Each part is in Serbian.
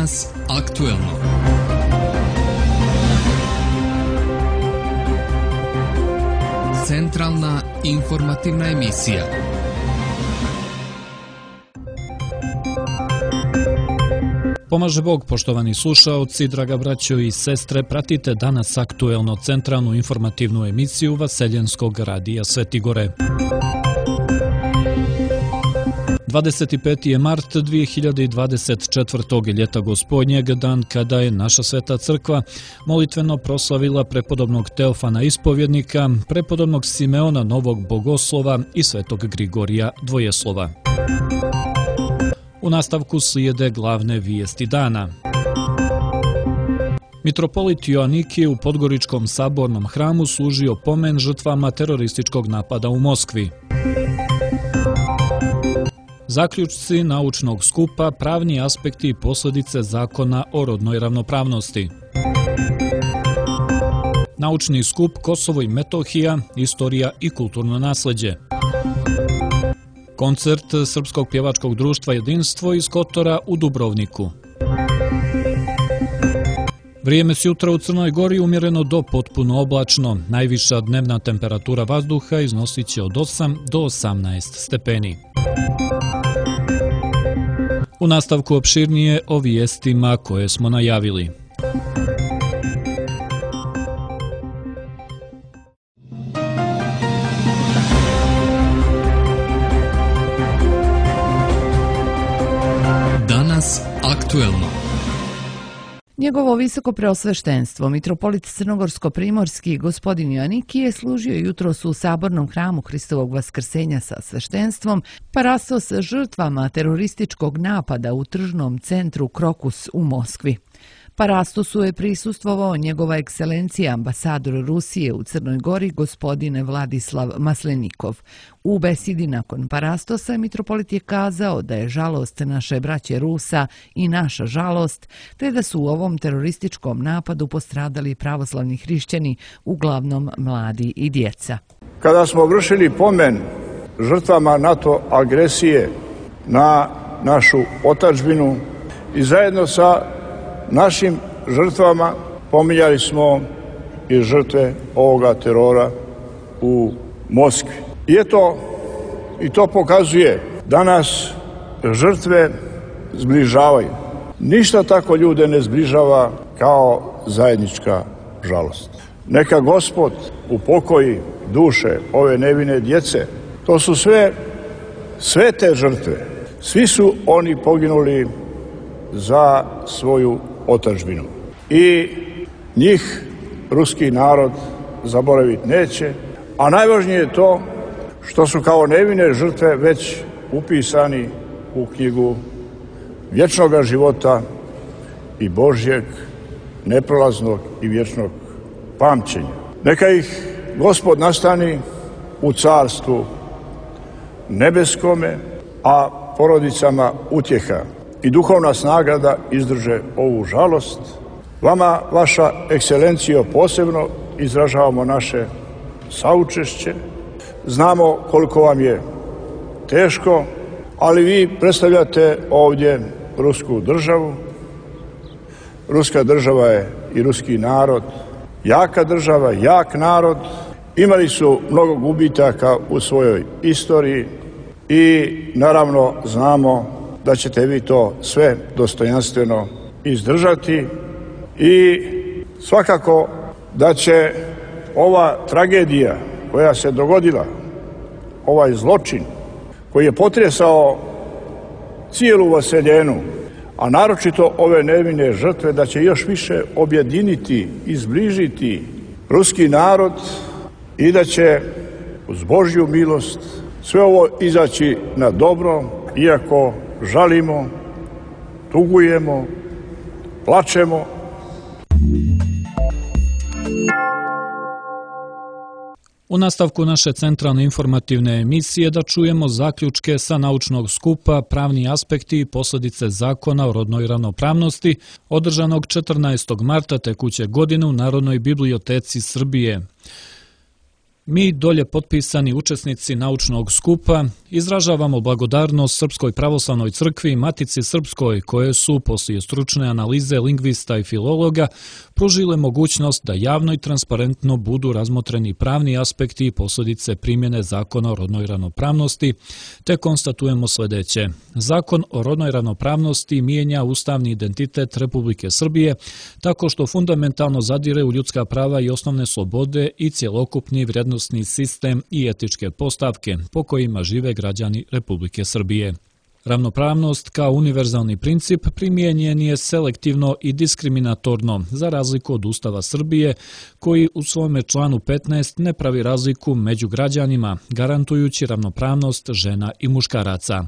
Danas aktuelno. Centralna informativna emisija. Pomaže Bog, poštovani slušaoci, draga braćo i sestre, pratite Danas aktuelno, centralnu informativnu emisiju Vaseljenskog radija Sveti Gore. 25. je mart 2024. ljeta Gospodnjeg, dan kada je naša Sveta Crkva molitveno proslavila prepodobnog Teofana Ispovjednika, prepodobnog Simeona Novog Bogoslova i Svetog Grigorija Dvojeslova. U nastavku slijede glavne vijesti dana. Mitropolit Joanikije u Podgoričkom sabornom hramu služio pomen žrtvama terorističkog napada u Moskvi. Zaključci naučnog skupa, pravni aspekti i posljedice zakona o rodnoj ravnopravnosti. Naučni skup Kosovo i Metohija, istorija i kulturno nasljeđe. Koncert Srpskog pjevačkog društva Jedinstvo iz Kotora u Dubrovniku. Vrijeme sjutra u Crnoj Gori umjereno do potpuno oblačno. Najviša dnevna temperatura vazduha iznosit će od 8 do 18 stepeni. U nastavku opširnije o vijestima koje smo najavili. Danas aktuelno. Njegovo visoko preosveštenstvo, mitropolit Crnogorsko-primorski gospodin Joanikije, služio jutros u sabornom hramu Hristovog vaskrsenja sa sveštenstvom, parastos žrtvama terorističkog napada u tržnom centru Krokus u Moskvi. Parastosu je prisustvovao njegova ekscelencija ambasador Rusije u Crnoj Gori gospodin Vladislav Maslenikov. U besidi nakon parastosa mitropolit je kazao da je žalost naše braće Rusa i naša žalost, te da su u ovom terorističkom napadu postradali pravoslavni hrišćani, uglavnom mladi i djeca. Kada smo vršili pomen žrtvama NATO agresije na našu otadžbinu i zajedno sa našim žrtvama pominjali smo i žrtve ovoga terora u Moskvi. I to pokazuje da nas žrtve zbližavaju. Ništa tako ljude ne zbližava kao zajednička žalost. Neka Gospod upokoji duše ove nevine djece. To su sve te žrtve. Svi su oni poginuli za svoju otadžbinu. I njih ruski narod zaboraviti neće, a najvažnije je to što su kao nevine žrtve već upisani u knjigu vječnog života i Božjeg, neprolaznog i vječnog pamćenja. Neka ih Gospod nastani u carstvu nebeskome, a porodicama utjeha i duhovna snaga da izdrže ovu žalost. Vama, vaša ekscelencijo, posebno izražavamo naše saučešće. Znamo koliko vam je teško, ali vi predstavljate ovdje rusku državu. Ruska država je i ruski narod, jaka država, jak narod. Imali su mnogo gubitaka u svojoj istoriji i naravno znamo da ćete vi to sve dostojanstveno izdržati i svakako da će ova tragedija koja se dogodila, ovaj zločin koji je potresao cijelu Vaseljenu, a naročito ove nevine žrtve, da će još više objediniti i zbližiti ruski narod i da će uz Božju milost sve ovo izaći na dobro, iako žalimo, tugujemo, plačemo. U nastavku naše centralne informativne emisije da čujemo zaključke sa naučnog skupa, pravni aspekti i posljedice zakona o rodnoj ravnopravnosti, održanog 14. marta tekuće godine u Narodnoj biblioteci Srbije. Mi, dolje potpisani učesnici naučnog skupa, izražavamo blagodarnost Srpskoj pravoslavnoj crkvi i Matici Srpskoj, koje su, poslije stručne analize lingvista i filologa, pružile mogućnost da javno i transparentno budu razmotreni pravni aspekti i posljedice primjene Zakona o rodnoj ravnopravnosti, te konstatujemo sljedeće. Zakon o rodnoj ravnopravnosti mijenja ustavni identitet Republike Srbije tako što fundamentalno zadire u ljudska prava i osnovne slobode i cjelokupni vrijednosni sistem i etičke postavke po kojima žive građani Republike Srbije. Ravnopravnost kao univerzalni princip primijenjen je selektivno i diskriminatorno, za razliku od Ustava Srbije, koji u svome članu 15 ne pravi razliku među građanima, garantujući ravnopravnost žena i muškaraca.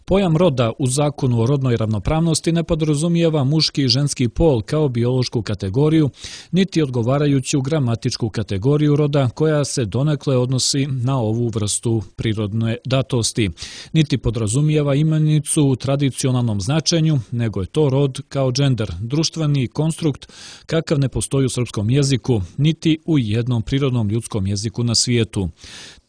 Pojam roda u Zakonu o rodnoj ravnopravnosti ne podrazumijeva muški i ženski pol kao biološku kategoriju, niti odgovarajuću gramatičku kategoriju roda koja se donekle odnosi na ovu vrstu prirodne datosti, niti podrazumijeva imenicu u tradicionalnom značenju, nego je to rod kao džender, društveni konstrukt kakav ne postoji u srpskom jeziku, niti u jednom prirodnom ljudskom jeziku na svijetu.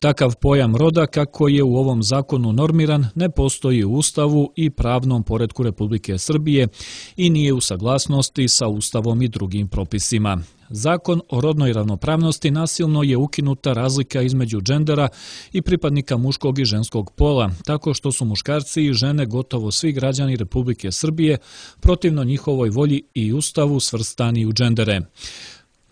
Takav pojam roda, kako je u ovom zakonu normiran, ne postoji u Ustavu i pravnom poretku Republike Srbije i nije u saglasnosti sa Ustavom i drugim propisima. Zakon o rodnoj ravnopravnosti nasilno je ukinuta razlika između džendera i pripadnika muškog i ženskog pola, tako što su muškarci i žene gotovo svi građani Republike Srbije protivno njihovoj volji i Ustavu svrstani u džendere.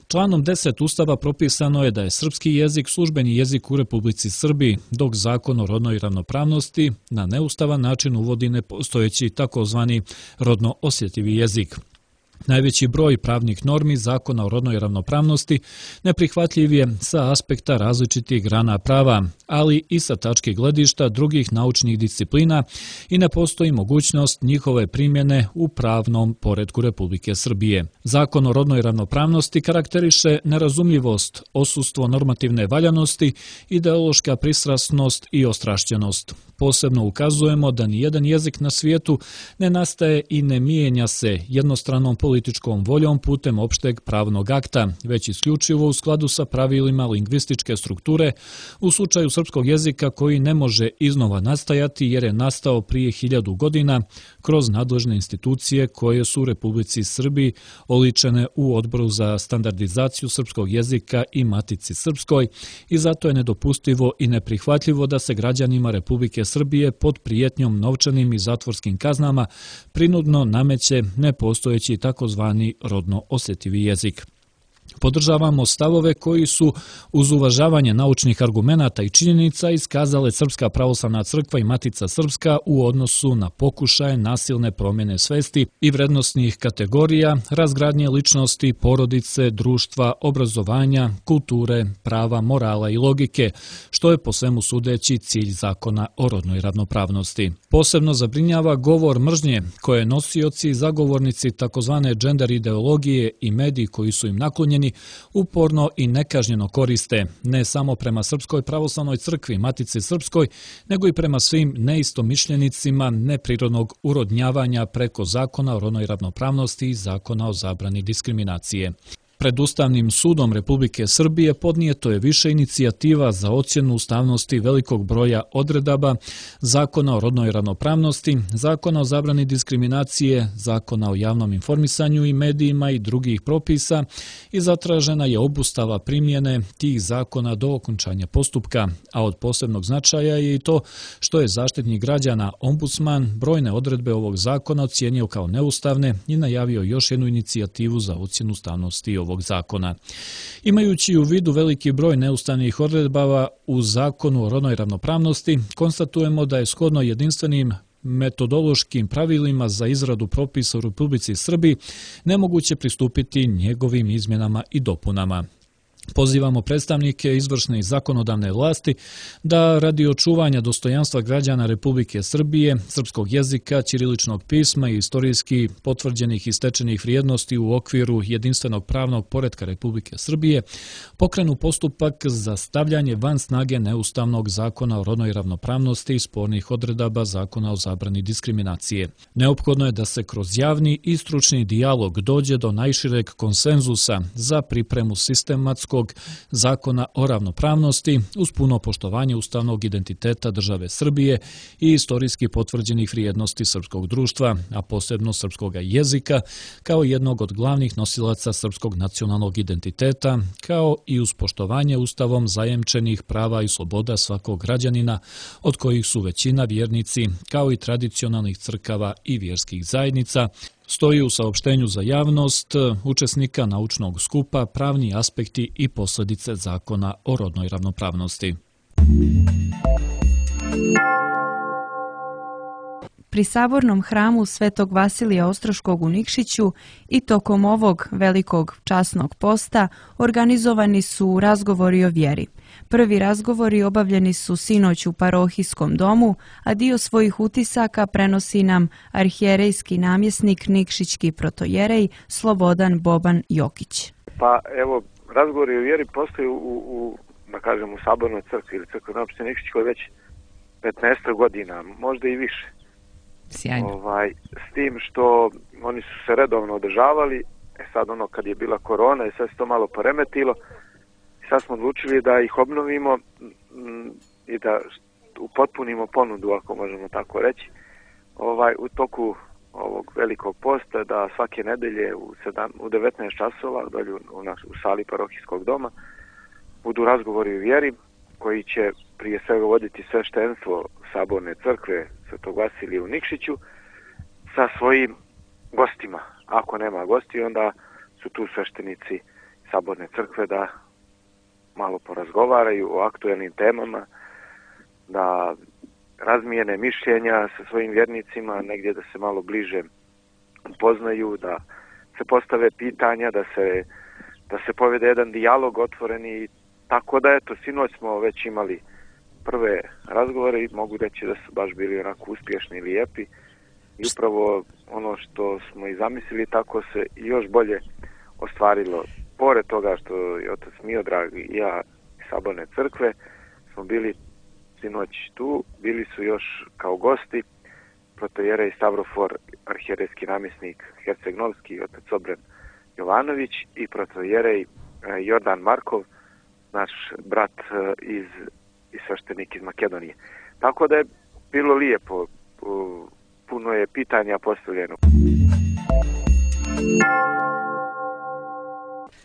Članom 10 Ustava propisano je da je srpski jezik službeni jezik u Republici Srbiji, dok Zakon o rodnoj ravnopravnosti na neustavan način uvodi nepostojeći takozvani rodno osjetljivi jezik. Najveći broj pravnih normi Zakona o rodnoj ravnopravnosti neprihvatljiv je sa aspekta različitih grana prava, ali i sa tačke gledišta drugih naučnih disciplina i ne postoji mogućnost njihove primjene u pravnom poretku Republike Srbije. Zakon o rodnoj ravnopravnosti karakteriše nerazumljivost, odsustvo normativne valjanosti, ideološka pristrasnost i ostrašćenost. Posebno ukazujemo da nijedan jezik na svijetu ne nastaje i ne mijenja se jednostranom političkom voljom putem opšteg pravnog akta, već isključivo u skladu sa pravilima lingvističke strukture u slučaju srpskog jezika koji ne može iznova nastajati jer je nastao prije 1000 godina kroz nadležne institucije koje su u Republici Srbiji oličene u Odboru za standardizaciju srpskog jezika i Matici Srpskoj i zato je nedopustivo i neprihvatljivo da se građanima Republike Srbije pod prijetnjom novčanim i zatvorskim kaznama prinudno nameće nepostojeći takozvani rodno osjetljivi jezik. Podržavamo stavove koji su uz uvažavanje naučnih argumenata i činjenica iskazale Srpska pravoslavna crkva i Matica Srpska u odnosu na pokušaje nasilne promjene svesti i vrednosnih kategorija, razgradnje ličnosti, porodice, društva, obrazovanja, kulture, prava, morala i logike, što je po svemu sudeći cilj Zakona o rodnoj ravnopravnosti. Posebno zabrinjava govor mržnje koje nosioci i zagovornici takozvane džender ideologije i mediji koji su im naklonjeni uporno i nekažnjeno koriste, ne samo prema Srpskoj pravoslavnoj crkvi, Matici Srpskoj, nego i prema svim neistomišljenicima neprirodnog urodnjavanja preko Zakona o rodnoj ravnopravnosti i Zakona o zabrani diskriminacije. Pred Ustavnim sudom Republike Srbije podnijeto je više inicijativa za ocjenu ustavnosti velikog broja odredaba Zakona o rodnoj ravnopravnosti, Zakona o zabrani diskriminacije, Zakona o javnom informisanju i medijima i drugih propisa i zatražena je obustava primjene tih zakona do okončanja postupka, a od posebnog značaja je i to što je zaštitnik građana ombudsman brojne odredbe ovog zakona ocijenio kao neustavne i najavio još jednu inicijativu za ocjenu ustavnosti ovog zakona. Imajući u vidu veliki broj neustavnih odredbava u Zakonu o rodnoj ravnopravnosti, konstatujemo da je shodno jedinstvenim metodološkim pravilima za izradu propisa u Republici Srbiji nemoguće pristupiti njegovim izmjenama i dopunama. Pozivamo predstavnike izvršne i zakonodavne vlasti da radi očuvanja dostojanstva građana Republike Srbije, srpskog jezika, ćiriličnog pisma i istorijski potvrđenih i stečenih vrijednosti u okviru jedinstvenog pravnog poretka Republike Srbije pokrenu postupak za stavljanje van snage neustavnog Zakona o rodnoj ravnopravnosti i spornih odredaba Zakona o zabrani diskriminacije. Neophodno je da se kroz javni i stručni dijalog dođe do najšireg konsenzusa za pripremu sistematskog Srpskog zakona o ravnopravnosti uz puno poštovanje ustavnog identiteta države Srbije i istorijski potvrđenih vrijednosti srpskog društva, a posebno srpskog jezika, kao jednog od glavnih nosilaca srpskog nacionalnog identiteta, kao i uz poštovanje ustavom zajemčenih prava i sloboda svakog građanina, od kojih su većina vjernici, kao i tradicionalnih crkava i vjerskih zajednica, stoji u saopštenju za javnost učesnika naučnog skupa Pravni aspekti i posljedice zakona o rodnoj ravnopravnosti. Pri Sabornom hramu Svetog Vasilija Ostroškog u Nikšiću i tokom ovog velikog časnog posta organizovani su razgovori o vjeri. Prvi razgovori obavljeni su sinoć u parohijskom domu, a dio svojih utisaka prenosi nam arhijerejski namjesnik Nikšićki protojerej Slobodan Boban Jokić. Pa evo, razgovori o vjeri postoji da kažem, u Sabornoj crkvi ili crkvenoj opštini Nikšićkoj već 15 godina, možda i više. Sjajno. S tim što oni su se redovno održavali, sad kad je bila korona i sve se to malo poremetilo, sad smo odlučili da ih obnovimo i da upotpunimo ponudu, ako možemo tako reći, u toku ovog velikog posta, da svake nedelje u 19 časova dolje u sali parohijskog doma budu razgovori o vjeri koji će prije svega voditi sveštenstvo Saborne crkve Svetog Vasilija u Nikšiću sa svojim gostima. Ako nema gosti, onda su tu sveštenici Saborne crkve da malo porazgovaraju o aktuelnim temama, da razmijene mišljenja sa svojim vjernicima, negdje da se malo bliže upoznaju, da se postave pitanja, da se povede jedan dijalog otvoreni. Tako da eto, sinoć smo već imali prve razgovore i mogu reći da su baš bili onako uspješni i lijepi. I upravo ono što smo i zamislili, tako se još bolje ostvarilo. Pored toga što je otac Miodrag i ja iz Saborne crkve smo bili sinoć tu, bili su još kao gosti protojerej Stavrofor, arhijerejski namjesnik Herceg-Novski, otac Obren Jovanović i protojerej Jordan Markov, naš brat i sveštenik iz Makedonije. Tako da je bilo lijepo, puno je pitanja postavljeno.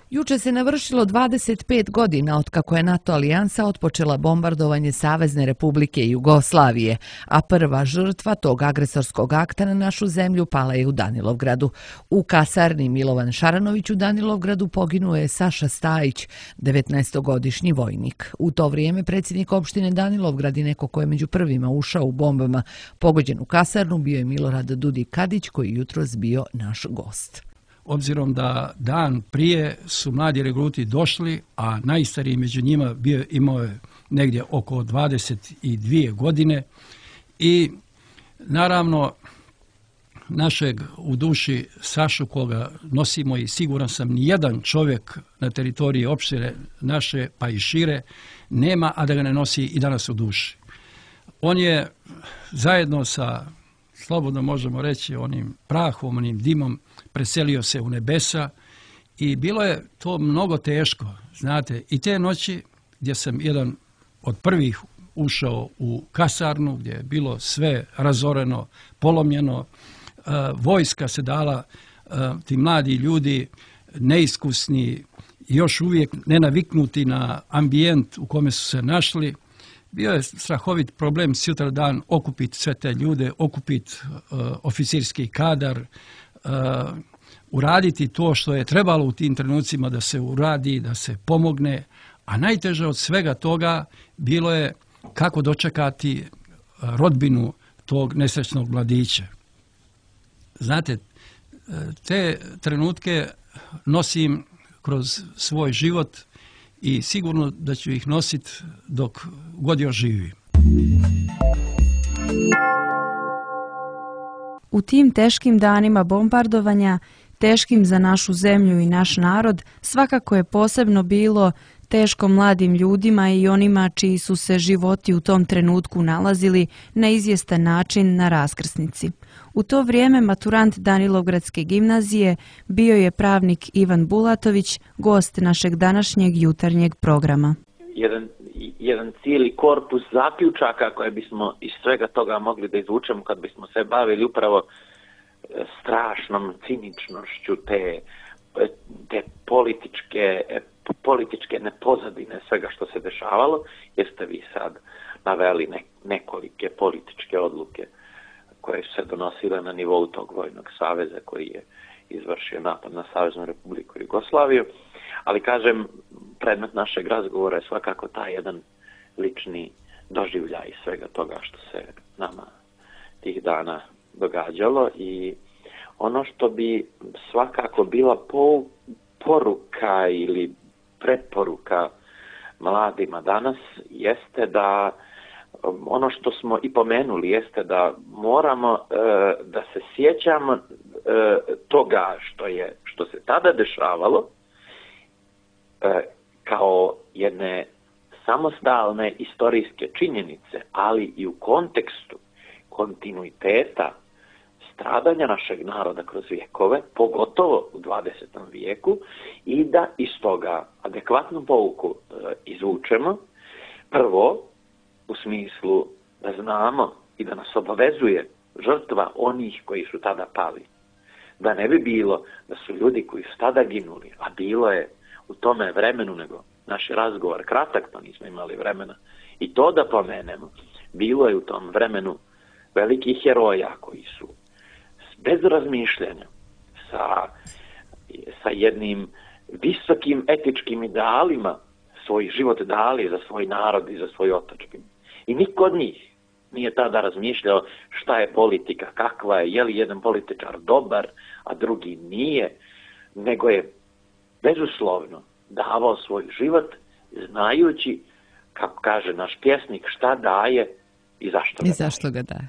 Juče se navršilo 25 godina otkako je NATO alijansa otpočela bombardovanje Savezne Republike Jugoslavije, a prva žrtva tog agresorskog akta na našu zemlju pala je u Danilovgradu. U kasarni Milovan Šaranović u Danilovgradu poginuo je Saša Stajić, 19-godišnji vojnik. U to vrijeme predsjednik opštine Danilovgrad i neko ko je među prvima ušao u bombama pogođen u kasarnu bio je Milorad Dudik Kadić, koji jutros bio naš gost. Obzirom da dan prije su mladi regruti došli, a najstariji među njima imao je negdje oko 22 godine i naravno našeg u duši Sašu koga nosimo i siguran sam nijedan čovjek na teritoriji opštine naše pa i šire nema, a da ga ne nosi i danas u duši. On je zajedno sa, slobodno možemo reći, onim prahom, onim dimom, preselio se u nebesa i bilo je to mnogo teško, znate, i te noći gdje sam jedan od prvih ušao u kasarnu, gdje je bilo sve razoreno, polomljeno, vojska se dala, ti mladi ljudi, neiskusni, još uvijek nenaviknuti na ambijent u kome su se našli. Bio je strahovit problem sutra dan okupiti sve te ljude, okupiti oficirski kadar, uraditi to što je trebalo u tim trenucima da se uradi, da se pomogne, a najteže od svega toga bilo je kako dočekati rodbinu tog nesrećnog mladića. Znate, te trenutke nosim kroz svoj život i sigurno da ću ih nositi dok god još živim. U tim teškim danima bombardovanja, teškim za našu zemlju i naš narod, svakako je posebno bilo teško mladim ljudima i onima čiji su se životi u tom trenutku nalazili na izvjestan način na raskrsnici. U to vrijeme maturant Danilovgradske gimnazije bio je pravnik Ivan Bulatović, gost našeg današnjeg jutarnjeg programa. Jedan cijeli korpus zaključaka koje bismo iz svega toga mogli da izvučemo kad bismo se bavili upravo strašnom ciničnošću te političke nepozadine svega što se dešavalo, jer ste vi sad naveli nekolike političke odluke koje su se donosile na nivou tog vojnog saveza koji je izvršio napad na Saveznu Republiku Jugoslaviju. Ali kažem, predmet našeg razgovora je svakako taj jedan lični doživljaj svega toga što se nama tih dana događalo i ono što bi svakako bila poruka ili preporuka mladima danas jeste da ono što smo i pomenuli jeste da moramo da se sjećamo toga što se tada dešavalo kao jedne samostalne istorijske činjenice, ali i u kontekstu kontinuiteta stradanja našeg naroda kroz vijekove, pogotovo u 20. vijeku, i da iz toga adekvatnu pouku izvučemo. Prvo, u smislu da znamo i da nas obavezuje žrtva onih koji su tada pali. Da ne bi bilo da su ljudi koji su tada ginuli, a bilo je u tome vremenu, nego naš razgovor kratak, pa nismo imali vremena i to da pomenemo. Bilo je u tom vremenu velikih heroja koji su bez razmišljanja sa jednim visokim etičkim idealima svoj život dali za svoj narod i za svoj otadžbinu. I niko od njih nije tada razmišljao šta je politika, kakva je li jedan političar dobar, a drugi nije, nego je bezuslovno davao svoj život znajući, kako kaže naš pjesnik, šta daje i zašto ga daje.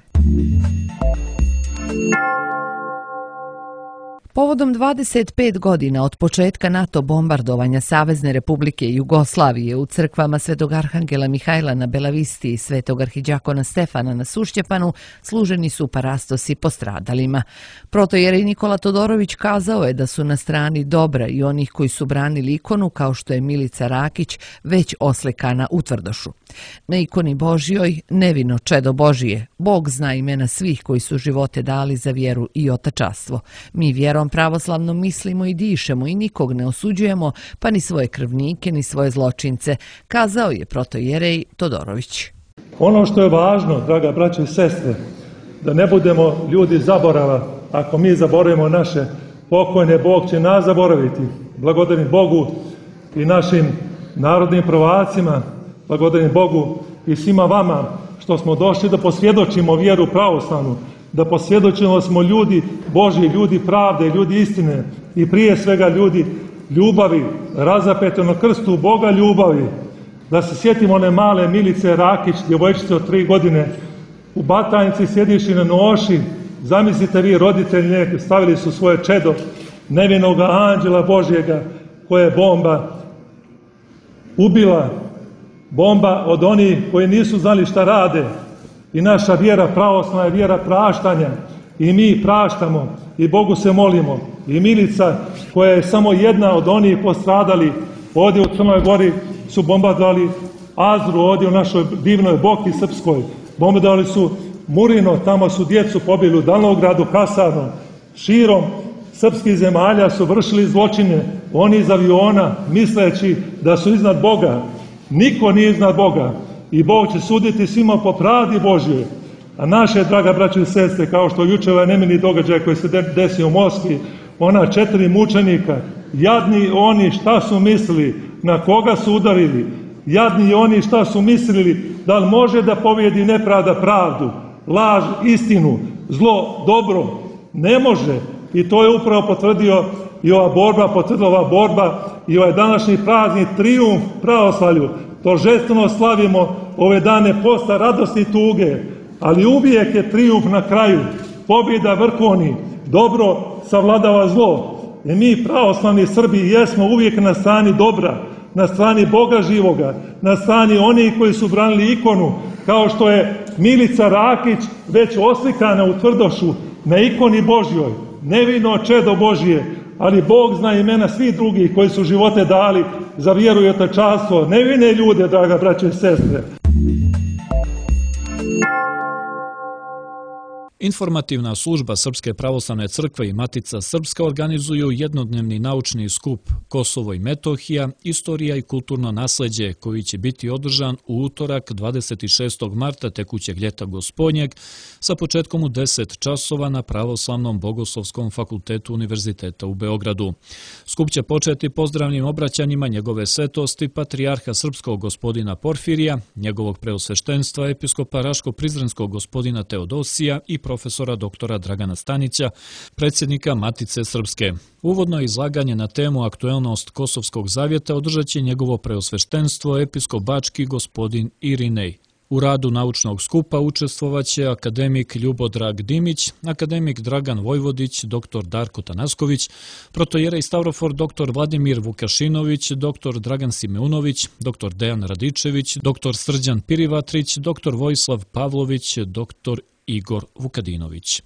Povodom 25 godina od početka NATO bombardovanja Savezne Republike Jugoslavije u crkvama Svetog Arhangela Mihajla na Belavisti i Svetog Arhidjakona Stefana na Sušćepanu služeni su parastosi postradalima. Protojerej Nikola Todorović kazao je da su na strani dobra i onih koji su branili ikonu kao što je Milica Rakić već oslikana u Tvrdošu. Na ikoni Božjoj nevino čedo Božije, Bog zna imena svih koji su živote dali za vjeru i otačastvo. Mi vjerom pravoslavno mislimo i dišemo i nikog ne osuđujemo, pa ni svoje krvnike, ni svoje zločince, kazao je protojerej Todorović. Ono što je važno, draga braćo i sestre, da ne budemo ljudi zaborava. Ako mi zaboravimo naše pokojne, Bog će nas zaboraviti. Blagodarim Bogu i našim narodnim prvacima, blagodarim Bogu i svima vama što smo došli da posvjedočimo vjeru pravoslavnu, da posvjedočimo smo ljudi Božji, ljudi pravde, ljudi istine i prije svega ljudi ljubavi, razapete na krstu Boga ljubavi. Da se sjetimo one male Milice Rakić, djevojčice od 3 godine, u Batajnici sjediši na noši, zamislite vi roditelji, stavili su svoje čedo, nevinoga anđela Božjega, koje je bomba ubila, bomba od onih koji nisu znali šta rade. I naša vjera pravoslavna je vjera praštanja i mi praštamo i Bogu se molimo. I Milica, koja je samo jedna od onih postradali, ovdje u Crnoj Gori su bombardovali Azru, ovdje u našoj divnoj Boki srpskoj. Bombardovali su Murino, tamo su djecu pobili u Danovgradu, Kasarnom. Širom srpskih zemalja su vršili zločine, oni iz aviona, misleći da su iznad Boga. Niko nije iznad Boga. I Bog će suditi svima po pravdi Božjoj. A naše, draga braćo i sestre, kao što jučer ovaj nemili događaj koji se desio u Moskvi, ona 4 mučenika, jadni oni šta su mislili, na koga su udarili, jadni oni šta su mislili, da li može da pobjedi nepravda pravdu, laž istinu, zlo dobro, ne može. I to je upravo potvrdila ova borba i ovaj današnji praznik trijumf pravoslavlju. Торжествено slavimo ove dane posta radosti i tuge, ali uvijek je trijumf na kraju, pobjeda vrhovni, dobro savladava zlo. I mi pravoslavni Srbi jesmo uvijek na strani dobra, na strani Boga živoga, na strani onih koji su branili ikonu, kao što je Milica Rakić, već oslikana u Tvrdošu na ikoni Božjoj, nevino čedo Božje, ali Bog zna imena svih drugih koji su živote dali za vjeru i otačanstvo, nevine ljude, draga braće i sestre. Informativna služba Srpske pravoslavne crkve i Matica Srpska organizuju jednodnevni naučni skup Kosovo i Metohija, istorija i kulturno nasleđe, koji će biti održan u utorak 26. marta tekućeg ljeta Gospodnjeg sa početkom u 10 časova na Pravoslavnom bogoslovskom fakultetu Univerziteta u Beogradu. Skup će početi pozdravnim obraćanjima njegove svetosti patrijarha srpskog gospodina Porfirija, njegovog preosveštenstva episkopa Raško-Prizrenskog gospodina Teodosija i profesora doktora Dragana Stanića, predsjednika Matice Srpske. Uvodno izlaganje na temu aktuelnost Kosovskog zavjeta održat će njegovo preosveštenstvo episkop Bački gospodin Irinej. U radu naučnog skupa učestvovaće akademik Ljubodrag Dimić, akademik Dragan Vojvodić, dr. Darko Tanasković, protojerej Stavrofor dr. Vladimir Vukašinović, dr. Dragan Simeunović, dr. Dejan Radičević, dr. Srđan Pirivatrić, dr. Vojislav Pavlović, dr. Igor Vukadinović.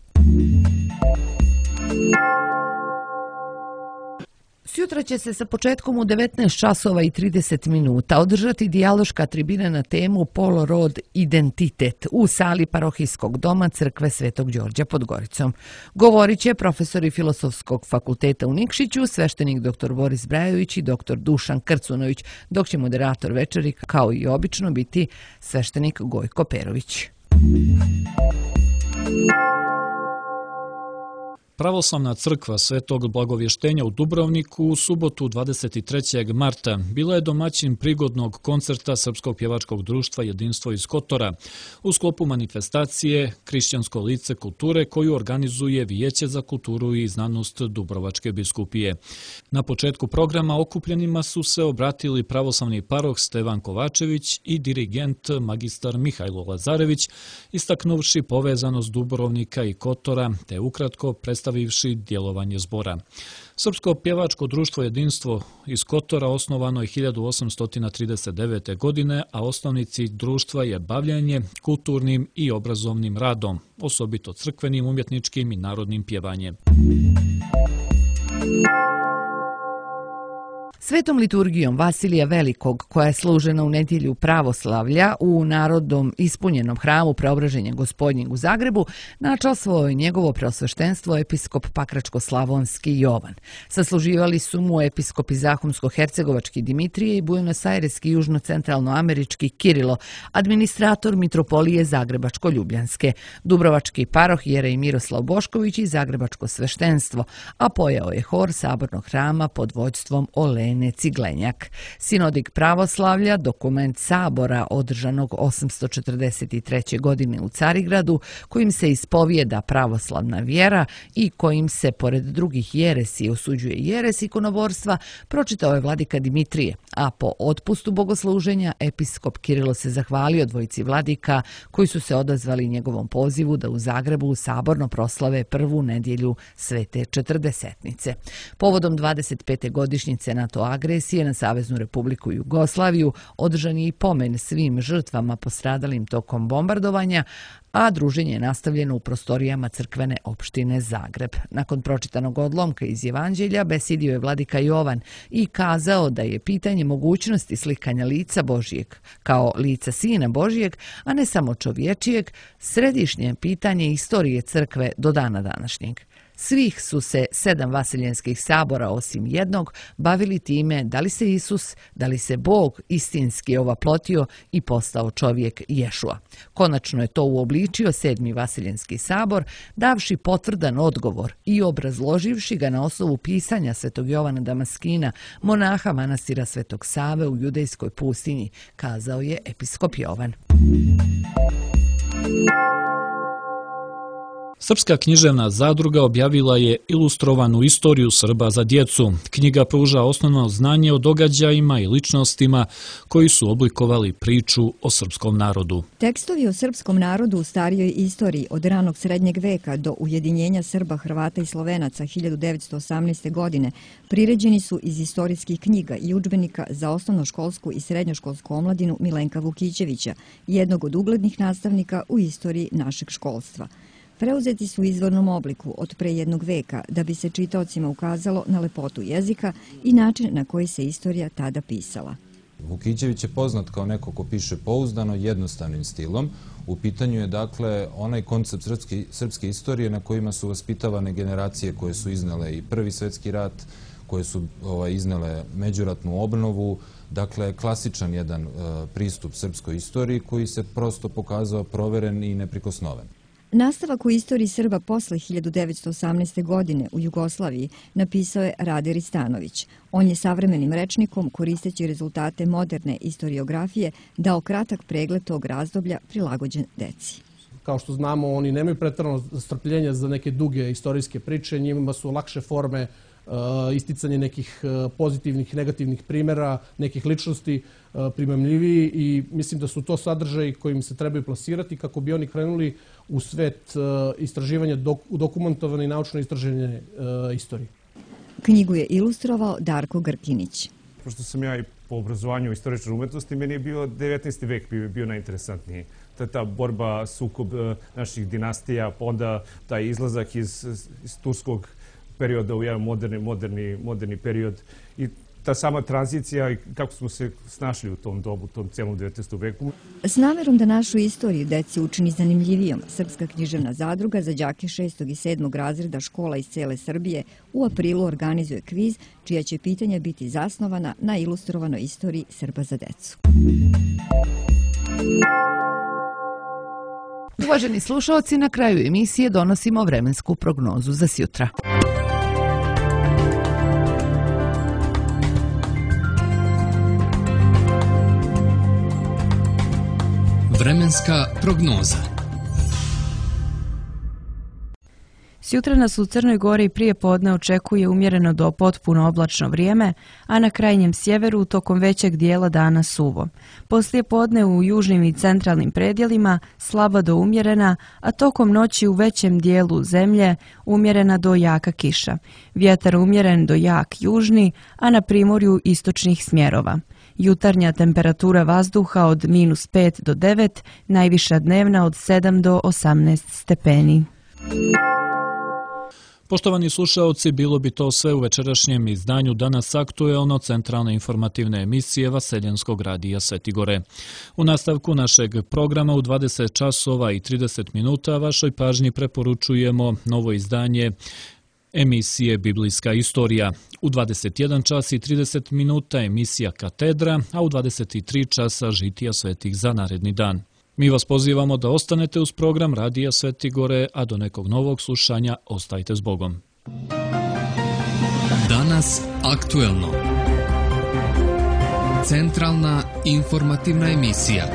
Sjutra će se sa početkom u 19 časova i 30 minuta održati dijaloška tribina na temu Pol, rod, identitet u sali parohijskog doma Crkve Svetog Đorđa pod Goricom. Govorit će profesori Filozofskog fakulteta u Nikšiću, sveštenik dr. Boris Brajović i dr. Dušan Krcunović, dok će moderator večeri, kao i obično, biti sveštenik Gojko Perović. Pravoslavna crkva Svetog Blagovještenja u Dubrovniku u subotu 23. marta bila je domaćin prigodnog koncerta Srpskog pjevačkog društva Jedinstvo iz Kotora u sklopu manifestacije Hrišćansko lice kulture koju organizuje Vijeće za kulturu i znanost Dubrovačke biskupije. Na početku programa okupljenima su se obratili pravoslavni paroh Stevan Kovačević i dirigent magistar Mihajlo Lazarević, istaknuvši povezanost Dubrovnika i Kotora te ukratko predstavivši djelovanje zbora. Srpsko pjevačko društvo Jedinstvo iz Kotora osnovano je 1839. godine, a osnovni cilj društva je bavljenje kulturnim i obrazovnim radom, osobito crkvenim, umjetničkim i narodnim pjevanjem. Svetom liturgijom Vasilija Velikog, koja je služena u nedjelju pravoslavlja u narodom ispunjenom hramu Preobraženja Gospodnjeg u Zagrebu, načastvovao je njegovo preosveštenstvo episkop Pakračko-slavonski Jovan. Sasluživali su mu episkopi Zahumsko-hercegovački Dimitrije i Buenos-Aireski južno-centralnoamerički Kirilo, administrator mitropolije Zagrebačko-ljubljanske, Dubrovački paroh Jerej Miroslav Bošković i Zagrebačko sveštenstvo, a pojao je hor sabornog hrama pod vođstvom Olene Ciglenjak. Sinodik pravoslavlja, dokument sabora održanog 843. godine u Carigradu, kojim se ispovijeda pravoslavna vjera i kojim se, pored drugih jeresi, osuđuje jeres ikonoborstva, pročitao je vladika Dimitrije, a po otpustu bogosluženja episkop Kirilo se zahvalio dvojici vladika koji su se odazvali njegovom pozivu da u Zagrebu saborno proslave prvu nedjelju Svete Četrdesetnice. Povodom 25. godišnjice NATO agresije na Saveznu Republiku Jugoslaviju održan je i pomen svim žrtvama postradalim tokom bombardovanja, a druženje je nastavljeno u prostorijama crkvene opštine Zagreb. Nakon pročitanog odlomka iz Evanđelja besedio je vladika Jovan i kazao da je pitanje mogućnosti slikanja lica Božijeg kao lica Sina Božijeg, a ne samo čovječijeg, središnje pitanje istorije crkve do dana današnjeg. Svih su se 7 vaseljenskih sabora osim jednog bavili time da li se Isus, da li se Bog istinski ovaplotio i postao čovjek Ješua. Konačno je to uobličio 7. vaseljenski sabor, davši potvrdan odgovor i obrazloživši ga na osnovu pisanja Svetog Jovana Damaskina, monaha manastira Svetog Save u judejskoj pustinji, kazao je episkop Jovan. Srpska književna zadruga objavila je ilustrovanu istoriju Srba za djecu. Knjiga pruža osnovno znanje o događajima i ličnostima koji su oblikovali priču o srpskom narodu. Tekstovi o srpskom narodu u starijoj istoriji od ranog srednjeg veka do ujedinjenja Srba, Hrvata i Slovenaca 1918. godine priređeni su iz istorijskih knjiga i udžbenika za osnovnoškolsku i srednjoškolsku omladinu Milenka Vukićevića, jednog od uglednih nastavnika u istoriji našeg školstva. Preuzeti su u izvornom obliku od pre jednog veka da bi se čitaocima ukazalo na lepotu jezika i način na koji se istorija tada pisala. Vukićević je poznat kao neko ko piše pouzdano, jednostavnim stilom. U pitanju je dakle onaj koncept srpske istorije na kojima su vaspitavane generacije koje su iznele i Prvi svjetski rat, koje su iznele međuratnu obnovu, dakle klasičan jedan pristup srpskoj istoriji koji se prosto pokazao proveren i neprikosnoven. Nastavak u istoriji Srba posle 1918. godine u Jugoslaviji napisao je Rade Ristanović. On je savremenim rečnikom, koristeći rezultate moderne istoriografije, dao kratak pregled tog razdoblja prilagođen deci. Kao što znamo, oni nemaju pretjerano strpljenja za neke duge istorijske priče, njima su lakše forme, isticanje nekih pozitivnih i negativnih primjera, nekih ličnosti primamljiviji i mislim da su to sadržaji kojim se trebaju plasirati kako bi oni krenuli u svet istraživanja dokumentovane i naučno istražene istorije. Knjigu je ilustrovao Darko Grkinić. Pošto sam ja i po obrazovanju istoričar umetnosti, meni je bio 19. vek bio najinteresantniji. Ta borba, sukob naših dinastija, pa onda taj izlazak iz turskog perioda u jedan moderni period i ta sama tranzicija i kako smo se snašli u tom dobu, u tom celom 19. veku. S namerom da našu istoriju deci učini zanimljivijom, Srpska književna zadruga za đake 6. i 7. razreda škola iz cele Srbije u aprilu organizuje kviz čija će pitanja biti zasnovana na ilustrovanoj istoriji Srba za decu. Uvaženi slušalci, na kraju emisije donosimo vremensku prognozu za sjutra. Vremenska prognoza. Sjutra nas u Crnoj Gori prije podne očekuje umjereno do potpuno oblačno vrijeme, a na krajnjem sjeveru tokom većeg dijela dana suvo. Poslije podne u južnim i centralnim predjelima slaba do umjerena, a tokom noći u većem dijelu zemlje umjerena do jaka kiša. Vjetar umjeren do jak južni, a na primorju istočnih smjerova. Jutarnja temperatura vazduha od -5 do 9, najviša dnevna od 7 do 18 stepeni. Poštovani slušaoci, bilo bi to sve u večerašnjem izdanju Danas aktuelno centralne informativne emisije Vaseljenskog radija Svetigore. U nastavku našeg programa u 20 časova i 30 minuta vašoj pažnji preporučujemo novo izdanje emisije Biblijska istorija. U 21 čas i 30 minuta emisija Katedra, a u 23 časa žitija svetih za naredni dan. Mi vas pozivamo da ostanete uz program Radija Svetigore, a do nekog novog slušanja ostajte s Bogom. Danas aktuelno. Centralna informativna emisija.